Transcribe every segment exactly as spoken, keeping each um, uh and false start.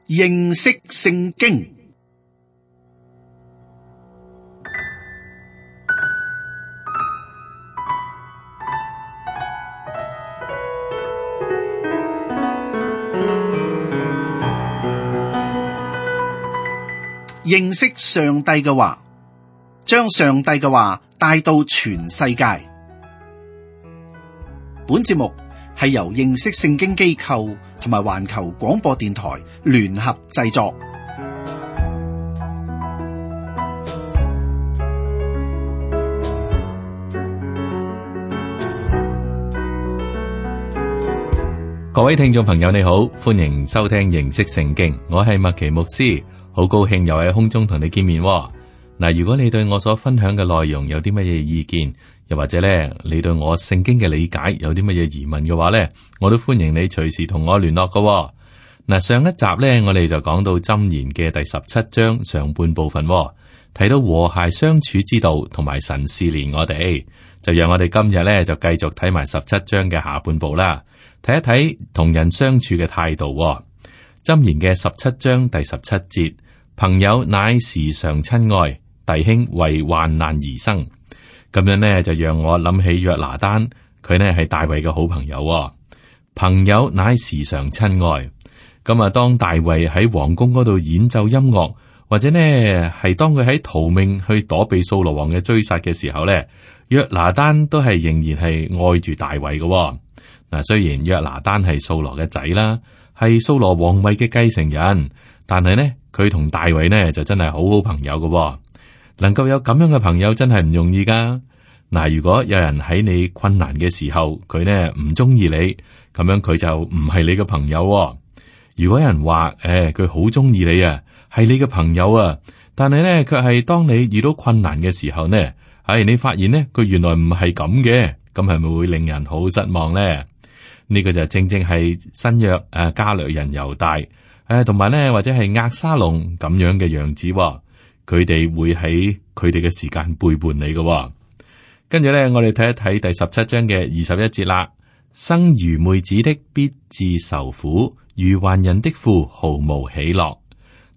認識聖經。認識上帝嘅話，將上帝嘅話帶到全世界。本節目係由認識聖經機構同埋環球廣播電台聯合製作。各位聽眾朋友你好，歡迎收聽認識聖經，我係麥奇牧師，好高興又喺空中同你見面。嗱，如果你對我所分享嘅內容有啲乜嘢意見，又或者咧你對我聖經嘅理解有啲乜嘢疑問嘅話咧，我都歡迎你隨時同我聯絡㗎。嗱，上一集咧我哋就講到箴言嘅第十七章上半部分，睇到和諧相處之道同埋神試煉我哋，就讓我哋今日咧就繼續睇埋十七章嘅下半部啦，睇一睇同人相處嘅態度。箴言嘅十七章第十七節，朋友乃時常親愛，弟兄為患難而生。咁樣呢，就讓我諗起約拿單，佢呢係大衛嘅好朋友。朋友乃時常親愛。咁啊，當大衛喺皇宮嗰度演奏音樂，或者呢係當佢喺逃命去躲避掃羅王嘅追殺嘅時候呢，約拿單都係仍然係愛住大衛嘅。嗱，雖然約拿單係掃羅嘅仔啦，係掃羅皇位嘅繼承人，但係呢，佢同大衛呢就真係好好朋友嘅。能夠有咁樣嘅朋友真係唔容易噶。嗱，如果有人喺你困難嘅時候，佢呢唔中意你，咁樣佢就唔係你嘅朋友。如果有人話，誒，佢好中意你啊，係你嘅朋友啊，但係呢，卻係當你遇到困難嘅時候呢，係你發現呢，佢原來唔係咁嘅，咁係咪會令人好失望呢？呢個就正正係新約誒加略人猶大誒，同埋呢或者係押沙龍咁樣嘅樣子。佢哋會喺佢哋嘅時間背叛你嘅。跟住咧，我哋睇一睇第十七章嘅二十一節啦。生愚昧子的必自受苦，愚頑人的父毫無喜樂。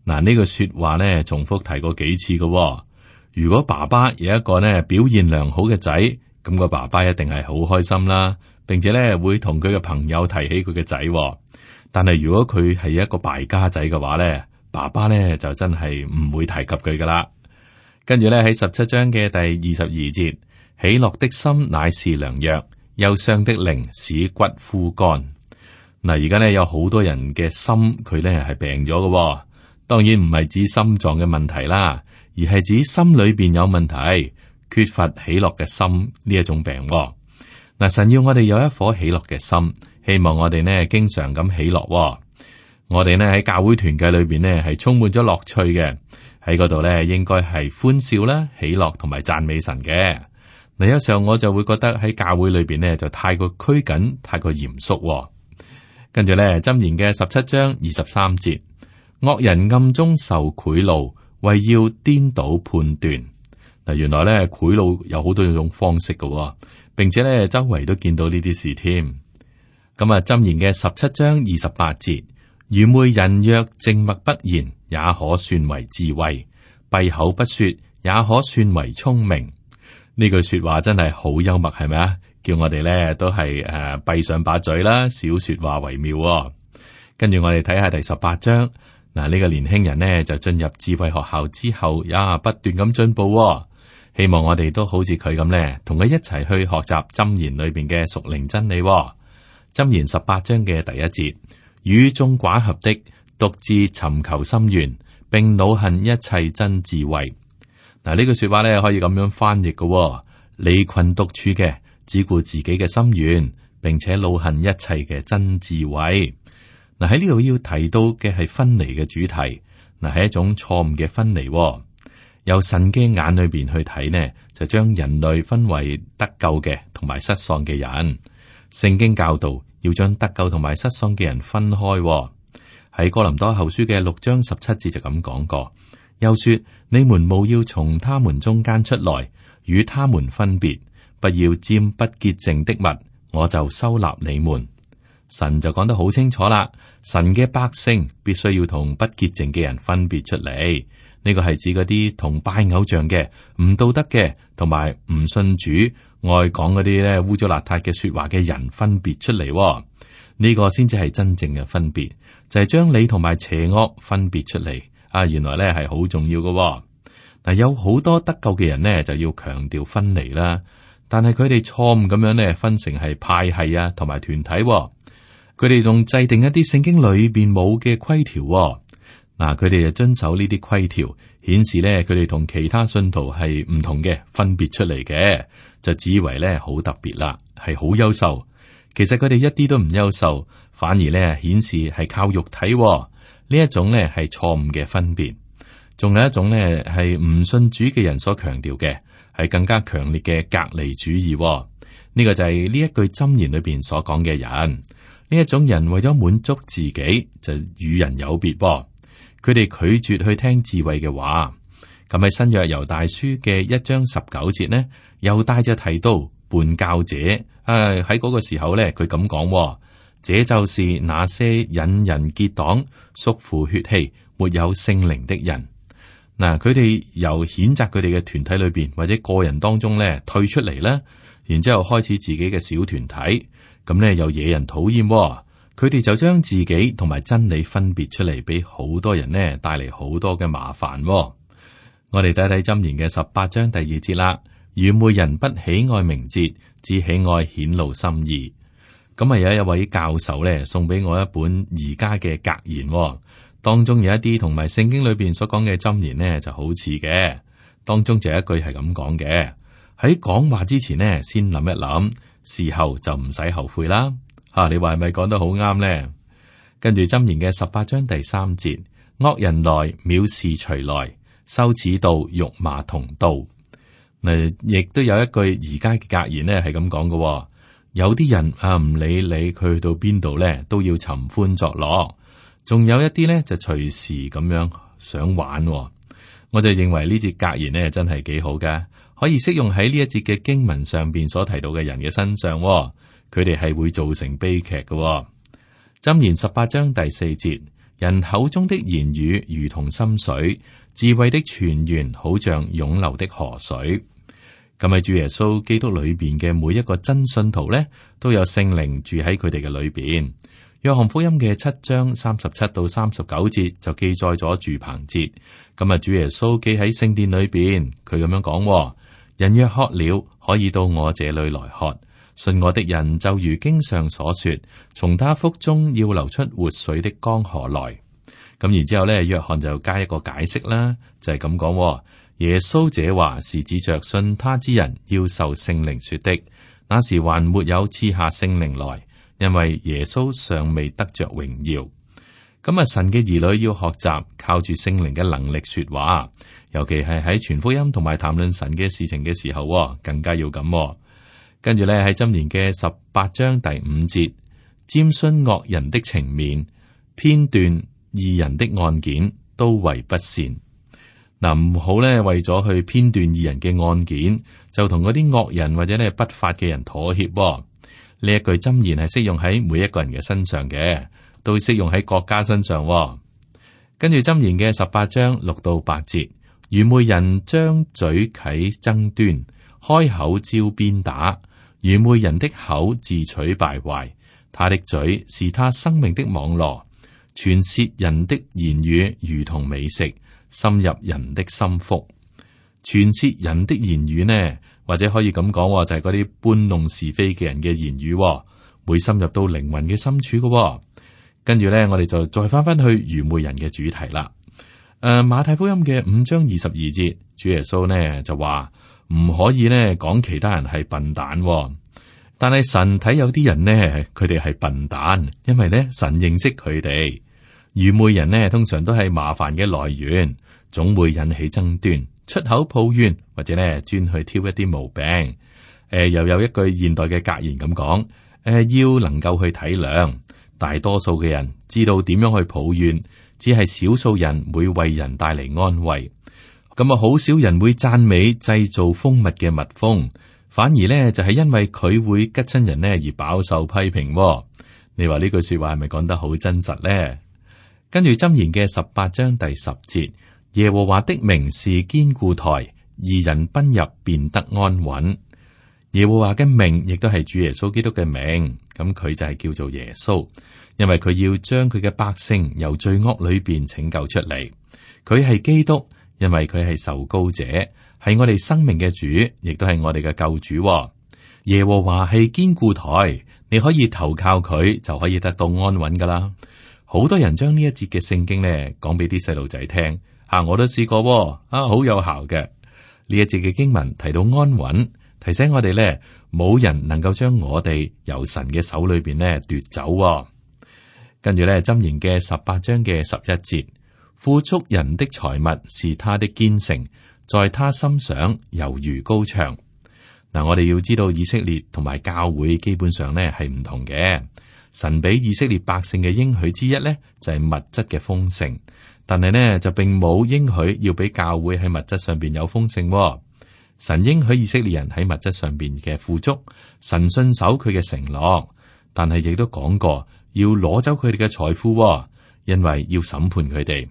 嗱，呢個說話呢，重複提過幾次嘅。如果爸爸有一個呢表現良好嘅仔，咁個爸爸一定係好開心啦，並且咧會同佢嘅朋友提起佢嘅仔。但係如果佢係一個敗家仔嘅話咧，爸爸咧就真係唔會提及佢噶啦。跟住咧喺十七章嘅第二十二節，喜樂的心乃是良藥，憂傷的靈使骨枯乾。嗱，而家咧有好多人嘅心佢咧係病咗嘅，當然唔係指心臟嘅問題啦，而係指心裏邊有問題，缺乏喜樂嘅心呢一種病。嗱，神要我哋有一顆喜樂嘅心，希望我哋呢經常咁喜樂。我哋呢喺教會團契裏邊呢係充滿咗樂趣嘅，喺嗰度呢應該係歡笑啦、喜樂同埋讚美神嘅。嗱，有時候我就會覺得喺教會裏邊呢就太過拘謹、太過嚴肅。跟住呢，箴言嘅十七章二十三節，惡人暗中受賄賂，為要顛倒判斷。嗱，原來呢賄賂有好多種方式嘅，並且呢周圍都見到呢啲事添。咁啊，箴言嘅十七章二十八節。愚昧人若靜默不言，也可算為智慧；閉口不說，也可算為聰明。呢句說話真係好幽默，係咪啊？叫我哋咧都係誒閉上把嘴啦，少說話為妙哦。跟住我哋睇下第十八章。嗱，呢個年輕人呢就進入智慧學校之後，也不斷咁進步哦。希望我哋都好似佢咁咧，同佢一齊去學習箴言裏邊嘅屬靈真理哦。箴言十八章嘅第一節。與眾寡合的，獨自尋求心願，並惱恨一切真智慧。嗱，呢句說話咧可以咁樣翻譯嘅，哦，離群獨處嘅，只顧自己嘅心願，並且惱恨一切嘅真智慧。嗱，喺呢度要提到嘅係分離嘅主題，嗱，係一種錯誤嘅分離，哦。由神嘅眼裏邊去睇呢，就將人類分為得救嘅同埋失喪嘅人。聖經教導要將得救同埋失喪嘅人分開，哦。喺哥林多後書嘅六章十七節就咁講過，又說你們務要從他們中間出來，與他們分別，不要沾不潔淨的物，我就收納你們。神就講得好清楚啦，神嘅百姓必須要同不潔淨嘅人分別出嚟。呢個係指嗰啲同拜偶像嘅、唔道德嘅，同埋唔信主、愛講嗰啲咧污糟邋遢嘅說話嘅人分別出嚟。呢個先至係真正嘅分別，就係將你同埋邪惡分別出嚟。啊，原來咧係好重要嘅。嗱，有好多得救嘅人呢，就要強調分離啦，但係佢哋錯誤咁樣咧分成係派系啊，同埋團體。佢哋仲制定一啲聖經裏邊冇嘅規條。嗱，佢哋就遵守呢啲規條，顯示咧佢哋同其他信徒係唔同嘅，分別出嚟嘅，就只以為咧好特別啦，係好優秀。其實佢哋一啲都唔優秀，反而咧顯示係靠肉體。呢一種咧係錯誤嘅分別。仲有一種咧係唔信主嘅人所強調嘅，係更加強烈嘅隔離主義。呢個就係呢一句箴言裏邊所講嘅人。呢一種人為咗滿足自己，就與人有別。佢哋拒絕去聽智慧嘅話。咁喺新約猶大書嘅一章十九節呢，猶大就提到叛教者。啊，喺嗰個時候咧，佢咁講：這就是那些引人結黨、屬乎血氣、沒有聖靈的人。嗱，佢哋由譴責佢哋嘅團體裏邊或者個人當中咧退出嚟啦，然之後開始自己嘅小團體，咁咧又惹人討厭。佢哋就將自己同埋真理分別出嚟，俾好多人呢帶嚟好多嘅麻煩。我哋睇睇箴言嘅十八章第二節啦。愚昧人不喜愛名節，只喜愛顯露心意。咁啊，有一位教授咧送俾我一本而家嘅格言，當中有一啲同埋聖經裏邊所講嘅箴言呢就好似嘅。當中就有一句係咁講嘅：喺講話之前呢，先諗一諗，事後就唔使後悔啦。吓、啊，你話係咪講得好啱呢？跟住箴言嘅十八章第三節：惡人來，藐視隨來，羞恥到辱罵同到。嗱，亦都有一句而家嘅格言呢係咁講嘅。有啲人啊，唔理你佢去到邊度咧，都要尋歡作樂。仲有一啲咧就隨時咁樣想玩。我就認為呢節格言呢真係幾好㗎，可以適用喺呢一節嘅經文上邊所提到嘅人嘅身上。佢哋係會造成悲劇嘅。箴言十八章第四節：人口中的言語如同深水，智慧的泉源好像湧流的河水。咁喺主耶穌基督裏邊嘅每一個真信徒咧，都有聖靈住喺佢哋嘅裏邊。約翰福音嘅七章三十七到三十九節就記載咗住棚節。咁啊，主耶穌記喺聖殿裏邊，佢咁樣講：人若渴了，可以到我這裏來喝。信我的人就如經上所說，從他腹中要流出活水的江河來。咁然之後咧，約翰就加一個解釋啦，就係咁講：耶穌這話是指着信他之人要受聖靈說的，那時還沒有賜下聖靈來，因為耶穌尚未得着榮耀。咁啊，神嘅兒女要學習靠住聖靈嘅能力說話，尤其係喺傳福音同埋談論神嘅事情嘅時候，更加要咁。跟住咧喺箴言嘅十八章第五節：瞻徇惡人的情面，偏斷義人的案件，都為不善。嗱，唔好咧，為咗去偏斷義人嘅案件，就同嗰啲惡人或者咧不法嘅人妥協。呢一句箴言係適用喺每一個人嘅身上嘅，都適用喺國家身上。跟住箴言嘅十八章六到八節：愚昧人張嘴啟爭端，開口招鞭打。愚昧人的口自取敗壞，他的嘴是他生命的網羅。傳舌人的言語如同美食，深入人的心腹。傳舌人的言語呢，或者可以咁講，就係嗰啲搬弄是非嘅人嘅言語，會深入到靈魂嘅深處嘅。跟住咧，我哋就再翻翻去愚昧人嘅主題啦。誒、呃，馬太福音嘅五章二十二節，主耶穌呢就話唔可以呢講其他人係笨蛋，但係神睇有啲人呢，佢哋係笨蛋，因為呢神認識佢哋。愚昧人呢，通常都係麻煩嘅來源，總會引起爭端，出口抱怨，或者呢專去挑一啲毛病。誒、呃，又有一句現代嘅格言咁講：誒、呃，要能夠去體諒。大多數嘅人知道點樣去抱怨，只係少數人會為人帶嚟安慰。咁啊，好少人會讚美製造蜂蜜嘅蜜蜂，反而呢就係、是、因為佢會吉親人呢而飽受批評。你話呢句說話係咪講得好真實呢？跟住箴言嘅十八章第十節，耶和華的名是堅固台，義人奔入便得安穩。耶和華嘅名亦都係主耶穌基督嘅名，咁佢就係叫做耶穌，因為佢要將佢嘅百姓由罪惡裏邊拯救出嚟。佢係基督，因為佢係受膏者，係我哋生命嘅主，亦都係我哋嘅救主。耶和華係堅固台，你可以投靠佢，就可以得到安穩噶啦。好多人將呢一節嘅聖經咧講俾啲細路仔聽，吓、啊、我都試過，啊好有效嘅。呢一節嘅經文提到安穩，提醒我哋咧冇人能夠將我哋由神嘅手裏邊咧奪走。跟住咧箴言嘅十八章嘅十一節，富足人的財物是他的堅城，在他心上猶如高牆。嗱，我哋要知道以色列同埋教會基本上咧係唔同嘅。神俾以色列百姓嘅應許之一咧，就係物質嘅豐盛，但係呢，就並冇應許要俾教會喺物質上邊有豐盛。神應許以色列人喺物質上邊嘅富足，神信守佢嘅承諾，但係亦都講過要攞走佢哋嘅財富，因為要審判佢哋。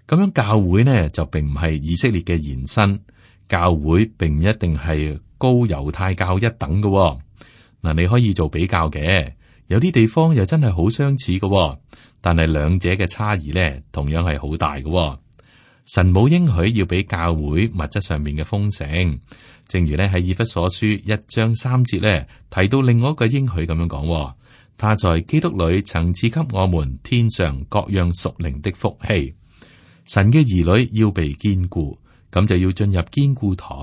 咁樣教會呢就並唔係以色列嘅延伸，教會並唔一定係高猶太教一等嘅。嗱，你可以做比較嘅。有啲地方又真係好相似嘅，但係兩者嘅差異咧，同樣係好大嘅。神冇應許要俾教會物質上面嘅豐盛，正如咧喺以弗所書一章三節咧提到另外一個應許咁樣講，他在基督裏曾賜給我們天上各樣屬靈的福氣。神嘅兒女要被堅固，咁就要進入堅固台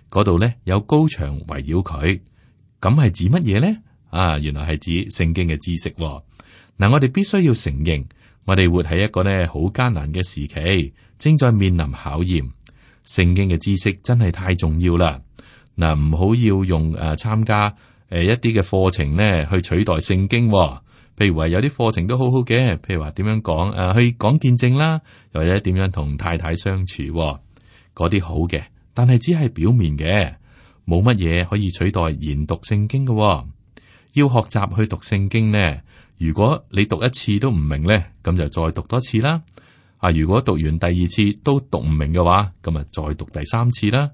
嗰度咧，有高牆圍繞佢。咁係指乜嘢咧？啊，原來係指聖經嘅知識。嗱，我哋必須要承認，我哋活喺一個呢好艱難嘅時期，正在面臨考驗。聖經嘅知識真係太重要啦。嗱，唔好要用誒參加誒一啲嘅課程呢去取代聖經。譬如話有啲課程都好好嘅，譬如話點樣講誒去講見證啦，又或者點樣同太太相處，嗰啲好嘅，但係只係表面嘅，冇乜嘢可以取代研讀聖經嘅。要學習去讀聖經呢，如果你讀一次都唔明呢，咁就再讀多次啦。啊，如果讀完第二次都讀唔明嘅話，咁啊再讀第三次啦。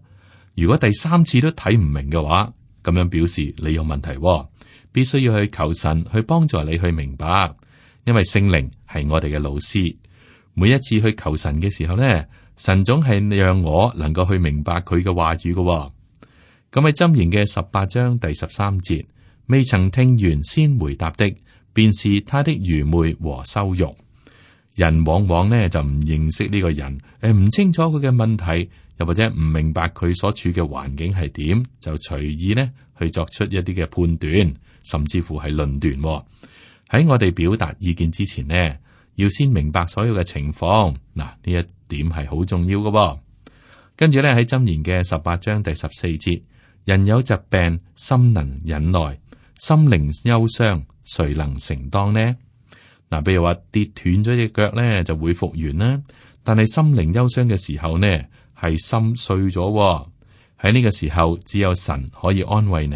如果第三次都睇唔明嘅話，咁樣表示你有問題，必須要去求神去幫助你去明白，因為聖靈係我哋嘅老師。每一次去求神嘅時候呢，神總係讓我能夠去明白佢嘅話語嘅。咁喺箴言嘅十八章第十三節。未曾聽完先回答的，便是他的愚昧和羞辱。人往往呢就唔認識呢個人，誒唔清楚佢嘅問題，又或者唔明白佢所處嘅環境係點，就隨意呢去作出一啲嘅判斷，甚至乎係論斷。喺我哋表達意見之前呢，要先明白所有嘅情況。嗱，呢一點係好重要嘅。跟住咧喺箴言嘅十八章第十四節，人有疾病，心能忍耐。心靈憂傷，誰能承當呢？嗱，比如話跌斷咗隻腳咧，就會復原啦。但係心靈憂傷嘅時候呢，係心碎咗。喺呢個時候，只有神可以安慰你。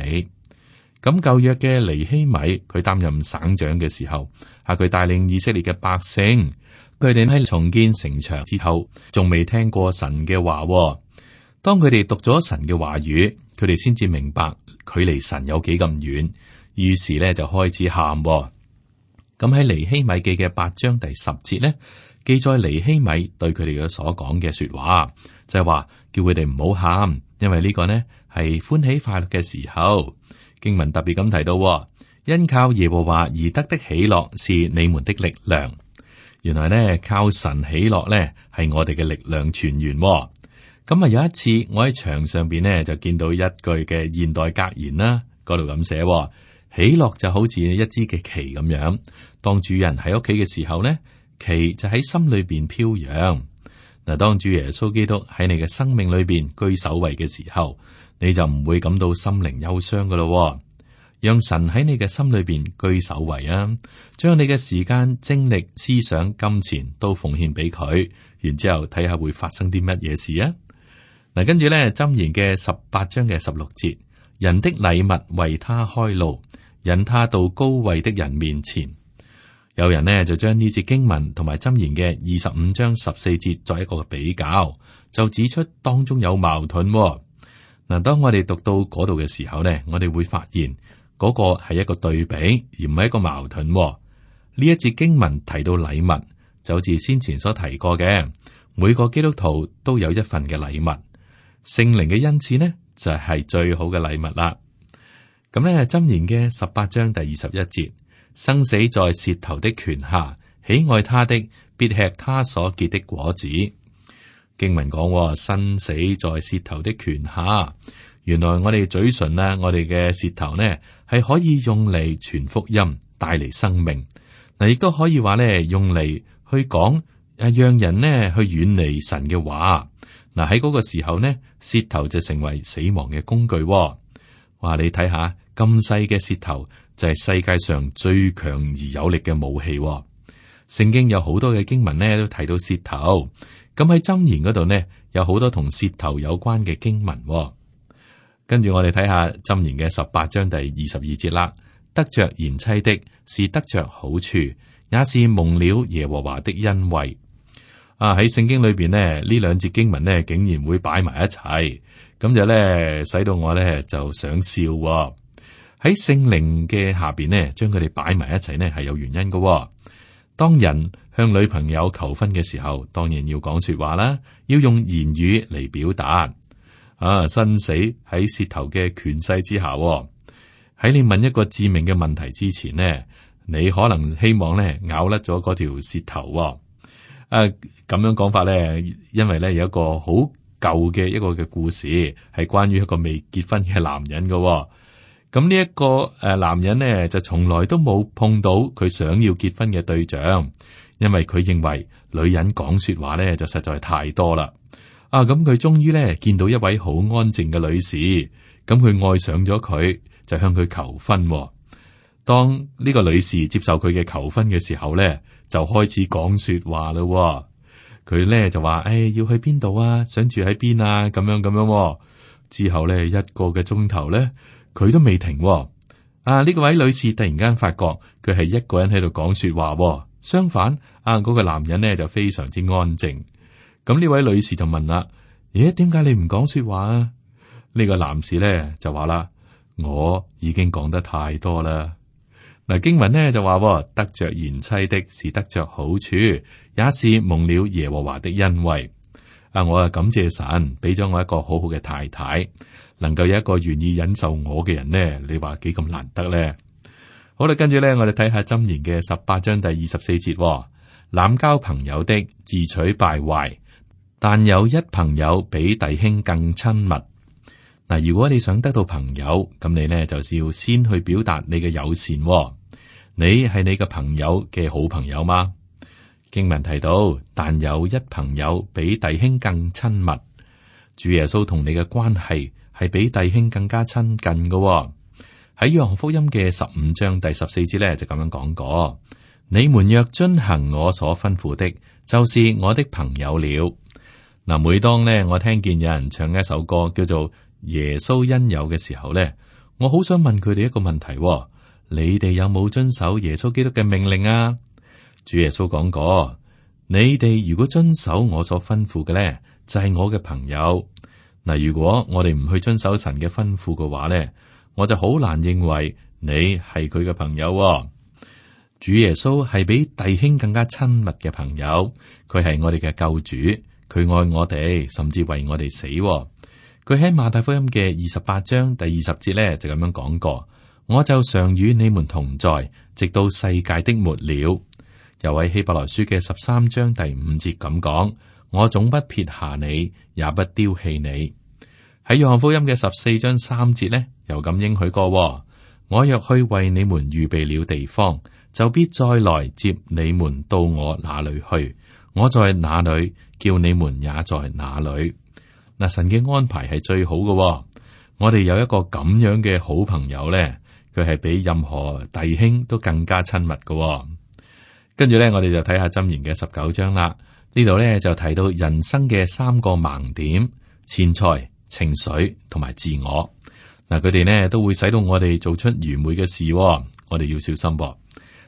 咁舊約嘅尼希米，佢擔任省長嘅時候，係佢帶領以色列嘅百姓，佢哋喺重建城牆之後，仲未聽過神嘅話。當佢哋讀咗神嘅話語，佢哋先至明白距離神有幾咁遠。於是咧就開始喊。咁喺尼希米記嘅八章第十節咧，記載尼希米對佢哋嘅所講嘅說話，就係話叫佢哋唔好喊，因為呢個呢係歡喜快樂嘅時候。經文特別咁提到，因靠耶和華而得的喜樂是你們的力量。原來呢，靠神喜樂呢係我哋嘅力量泉源。咁啊有一次我喺牆上邊呢就見到一句嘅現代格言啦，嗰度咁寫。喜樂就好似一支嘅旗咁樣，當主人喺屋企嘅時候呢，旗就喺心裏邊飄揚。嗱，當主耶穌基督喺你嘅生命裏邊居首位嘅時候，你就唔會感到心靈憂傷噶咯。讓神喺你嘅心裏邊居首位啊，將你嘅時間、精力、思想、金錢都奉獻俾佢，然之後睇下會發生啲乜嘢事啊。嗱，跟住咧箴言嘅十八章嘅十六節，人的禮物為他開路。引他到高位的人面前。有人呢就將呢節經文同埋箴言嘅二十五章十四節作一個比較，就指出當中有矛盾喎。嗱，當我哋讀到嗰度嘅時候呢，我哋會發現嗰個係一個對比，而唔係一個矛盾喎。呢一節經文提到禮物，就好似先前所提過嘅，每個基督徒都有一份嘅禮物。聖靈嘅恩賜呢，就係最好嘅禮物啦。咁咧，箴言嘅十八章第二十一節，生死在舌頭的權下，喜愛他的必吃他所結的果子。經文講，生死在舌頭的權下，原來我哋嘴唇啊，我哋嘅舌頭呢，係可以用嚟傳福音，帶嚟生命。嗱，亦都可以話咧，用嚟去講誒，讓人呢去遠離神嘅話。嗱，喺嗰個時候呢，舌頭就成為死亡嘅工具。哇，你睇下咁細嘅舌頭就係世界上最強而有力嘅武器。聖經有好多嘅經文呢都提到舌頭。咁喺箴言嗰度呢，有好多同舌頭有關嘅經文。跟住我哋睇下箴言嘅十八章第二十二節啦。得着賢妻的是得着好處，也是蒙了耶和華的恩惠。啊，喺聖經裏邊呢，呢兩節經文呢竟然會擺埋一齊，咁就咧使到我咧就想笑。喺聖靈嘅下邊呢，將佢哋擺埋一齊呢係有原因嘅。當人向女朋友求婚嘅時候，當然要講說話啦，要用言語嚟表達。啊，生死喺舌頭嘅權勢之下。喺你問一個致命嘅問題之前呢，你可能希望咧咬甩咗嗰條舌頭。啊，咁樣講法咧，因為咧有一個好舊嘅一個嘅故事，係關於一個未結婚嘅男人嘅。咁呢一個誒男人呢，就從來都冇碰到佢想要結婚嘅對象，因為佢認為女人講說話咧就實在太多啦。啊，咁佢終於咧見到一位好安靜嘅女士，咁佢愛上咗佢，就向佢求婚。當呢個女士接受佢嘅求婚嘅時候咧，就開始講說話啦。佢咧就話：誒、哎，要去邊度啊？想住喺邊啊？咁樣咁樣。之後咧一個嘅鐘頭咧，佢都未停。啊，呢個位女士突然間發覺佢係一個人喺度講說話。相反，啊嗰個男人咧就非常之安靜。咁呢位女士就問啦：咦，點解你唔講說話啊？呢個男士咧就話啦：我已經講得太多啦。嗱，經文呢就話：得着賢妻的是得着好處，也是蒙了耶和華的恩惠。啊，我啊感謝神俾咗我一個好好嘅太太，能夠有一個願意忍受我嘅人呢，你話幾咁難得呢？好啦，跟住咧，我哋睇下箴言嘅十八章第二十四節：濫交朋友的自取敗壞，但有一朋友比弟兄更親密。嗱，如果你想得到朋友，咁你呢就是要先去表達你嘅友善。你係你嘅朋友嘅好朋友嗎？經文提到，但有一朋友比弟兄更親密。主耶穌同你嘅關係係比弟兄更加親近嘅。喺約翰福音嘅十五章第十四節咧就咁樣講過：你們若遵行我所吩咐的，就是我的朋友了。嗱，每當呢我聽見有人唱一首歌叫做耶穌恩友嘅時候咧，我好想問佢哋一個問題：你哋有冇遵守耶穌基督嘅命令啊？主耶穌講過：你哋如果遵守我所吩咐嘅咧，就係我嘅朋友。嗱，如果我哋唔去遵守神嘅吩咐嘅話咧，我就好難認為你係佢嘅朋友。主耶穌係比弟兄更加親密嘅朋友，佢係我哋嘅救主，佢愛我哋，甚至為我哋死。佢喺馬太福音嘅二十八章第二十節咧就咁樣講過：我就常與你們同在，直到世界的末了。又喺希伯來書嘅十三章第五節咁講：我總不撇下你，也不丟棄你。喺約翰福音嘅十四章三節呢，又咁應許過：我若去為你們預備了地方，就必再來接你們到我那裏去。我在哪裏，叫你們也在哪裏。嗱，神嘅安排係最好嘅。我哋有一個咁樣嘅好朋友咧，佢係比任何弟兄都更加親密嘅。跟住咧，我哋就睇下箴言嘅十九章啦。呢度咧就提到人生嘅三個盲點：錢財、情緒同埋自我。嗱，佢哋呢都會使到我哋做出愚昧嘅事，我哋要小心噃。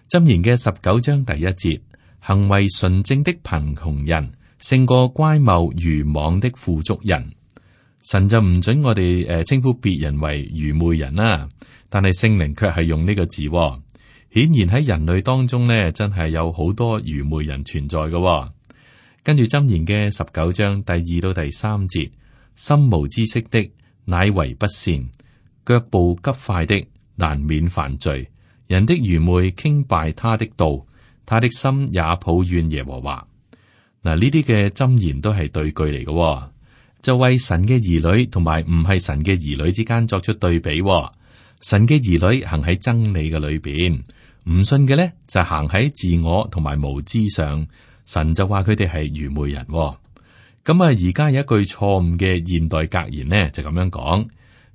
箴言嘅十九章第一節，行為純正的貧窮人勝過乖謬愚妄的富足人。神就唔准我哋誒稱呼別人為愚昧人啦，但係聖靈卻係用呢個字。顯然喺人類當中呢，真係有好多愚昧人存在嘅。跟住箴言嘅十九章第二到第三節，心無知識的乃為不善，腳步急快的難免犯罪。人的愚昧傾敗他的道，他的心也抱怨耶和華。嗱，呢啲嘅箴言都係對句嚟嘅，就為神嘅兒女同埋唔係神嘅兒女之間作出對比。神嘅兒女行喺真理嘅裏邊，唔信嘅咧就行喺自我同埋無知上。神就話佢哋係愚昧人。咁啊，而家有一句錯誤嘅現代格言呢，就咁樣講：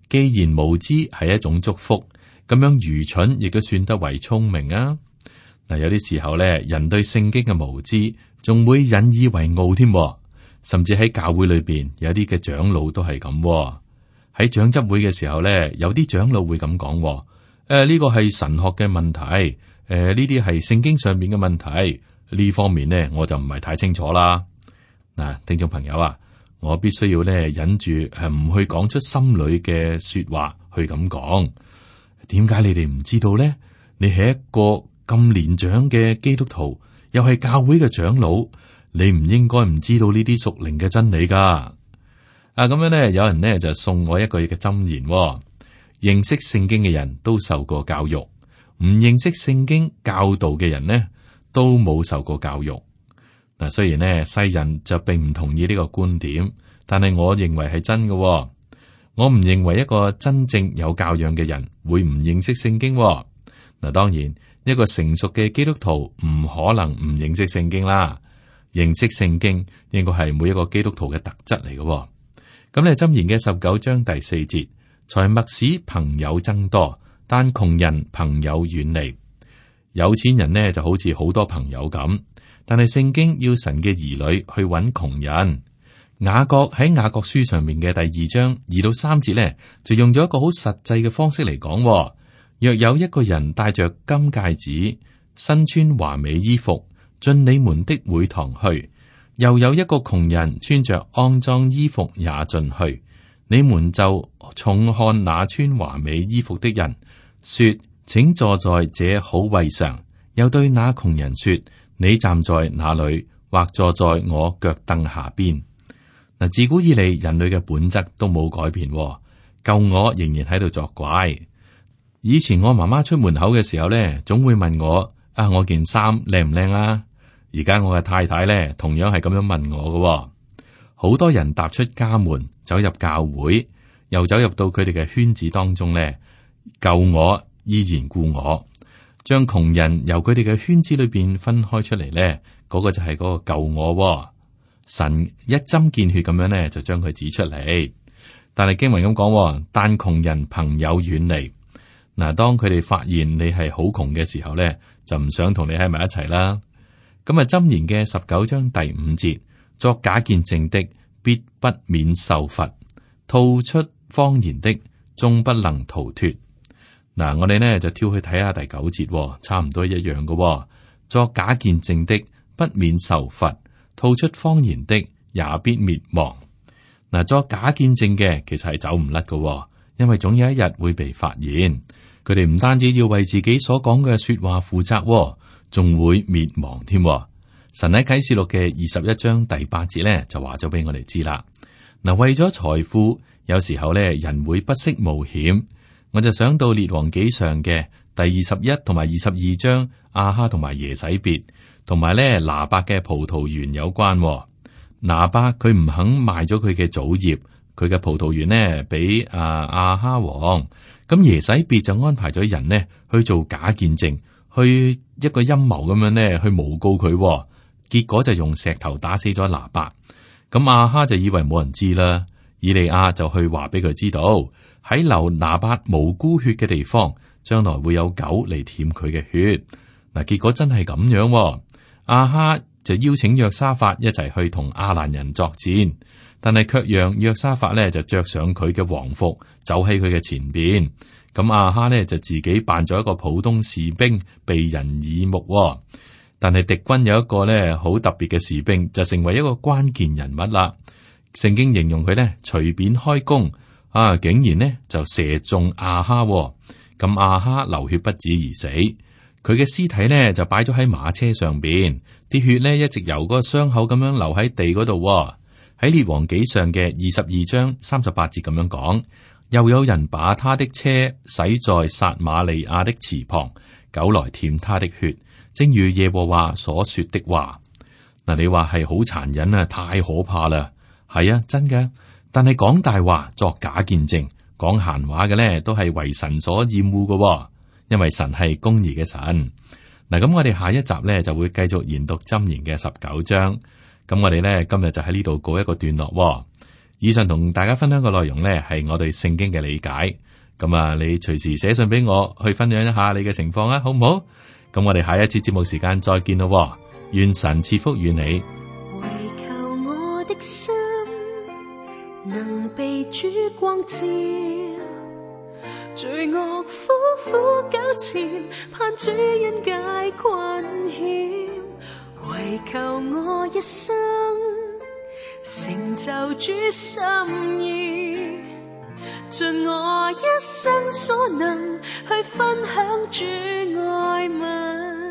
既然無知係一種祝福，咁樣愚蠢亦都算得為聰明啊！嗱，有啲時候咧，人對聖經嘅無知仲會引以為傲添，甚至喺教會裏邊有啲嘅長老都係咁。喺長執會嘅時候咧，有啲長老會咁講：誒、呃，呢個係神學嘅問題，誒、呃，呢啲係聖經上面嘅問題。呢方面呢，我就唔係太清楚啦。嗱，聽眾朋友啊，我必須要咧忍住誒，唔去講出心裏嘅說話去咁講。點解你哋唔知道咧？你係一個咁年長嘅基督徒，又係教會嘅長老，你唔應該唔知道呢啲屬靈嘅真理噶。啊，咁樣咧，有人咧就送我一句嘅箴言：認識聖經嘅人都受過教育，唔認識聖經教導嘅人呢，都冇受過教育。嗱，雖然呢世人就並唔同意呢個觀點，但係我認為係真嘅。我唔認為一個真正有教養嘅人會唔認識聖經。嗱，當然一個成熟嘅基督徒唔可能唔認識聖經啦。認識聖經應該係每一個基督徒嘅特質嚟嘅。咁咧，箴言嘅十九章第四節，財物使朋友增多，但窮人朋友遠離。有錢人呢就好似好多朋友咁，但係聖經要神嘅兒女去揾窮人。雅各喺雅各書上面嘅第二章二到三節呢，就用咗一個好實際嘅方式嚟講。若有一個人帶着金戒指，身穿華美衣服，進你們的會堂去，又有一個窮人穿着骯髒衣服也進去，你們就重看那穿華美衣服的人，說：請坐在這好位上。又對那窮人說：你站在那裏，或坐在我腳凳下邊。嗱，自古以嚟人類嘅本質都冇改變，舊我仍然喺度作怪。以前我媽媽出門口嘅時候咧，總會問我：啊，我件衫靚唔靚啊？而家我嘅太太咧，同樣係咁樣問我嘅。好多人踏出家門，走入教會，又走入到佢哋嘅圈子當中咧，舊我依然故我，將窮人由佢哋嘅圈子裏邊分開出嚟咧，嗰、嗰個就係嗰個舊我。神一針見血咁樣咧，就將佢指出嚟。但係經文咁講，但窮人朋友遠離。嗱，當佢哋發現你係好窮嘅時候咧，就唔想同你喺埋一齊啦。咁啊，箴言嘅十九章第五節，作假見證的必不免受罰，吐出謊言的終不能逃脫。嗱，我哋呢就跳去睇下第九節，差唔多一樣嘅。作假見證的不免受罰，吐出謊言的也必滅亡。嗱，作假見證嘅其實係走唔甩嘅，因為總有一日會被發現。佢哋唔單止要為自己所講嘅說話負責，仲會滅亡添。神喺啟示錄嘅二十一章第八節咧就話咗俾我哋知啦。嗱，為咗財富，有時候咧人會不惜冒險。我就想到列王紀上嘅第二十一同埋二十二章，亞哈同埋耶洗別同埋咧拿伯嘅葡萄園有關。拿伯佢唔肯賣咗佢嘅祖業，佢嘅葡萄園呢俾啊亞哈王。咁耶洗別就安排咗人呢去做假見證，去一個陰謀咁樣呢去誣告佢，結果就用石頭打死咗拿伯。咁亞哈就以為冇人知啦，以利亞就去話俾佢知道，喺流拿伯無辜血嘅地方，將來會有狗嚟舔佢嘅血。嗱，結果真係咁樣，亞哈就邀請約沙法一齊去同亞蘭人作戰，但係卻讓約沙法咧就着上佢嘅皇服，走喺佢嘅前邊。咁亞哈呢，就自己扮咗一個普通士兵，被人耳目。但係敵軍有一個咧好特別嘅士兵，就成為一個關鍵人物啦。聖經形容佢咧隨便開弓，啊，竟然呢就射中亞哈。咁亞哈流血不止而死，佢嘅屍體呢就擺咗喺馬車上邊，啲血呢一直由嗰個傷口咁樣流喺地嗰度。喺列王紀上嘅二十二章三十八節咁樣講，又有人把他的車洗在撒瑪利亞的池旁，狗來舔他的血，正如耶和華所說的話。嗱，你話係好殘忍啊，太可怕啦。係啊，真嘅。但係講大話、作假見證、講閒話嘅咧，都係為神所厭惡嘅，因為神係公義嘅神。嗱，咁我哋下一集咧就會繼續研讀箴言嘅十九章。咁我哋咧今日就喺呢度告一個段落。以上同大家分享嘅內容咧係我對聖經嘅理解。咁啊，你隨時寫信俾我，去分享一下你嘅情況啊，好唔好？咁我哋下一次節目時間再見咯。願神賜福與你。唯求我的心能被主光照，罪惡苦苦糾纏，盼主恩解困險。唯求我一生成就主心意，盡我一生所能去分享主愛物。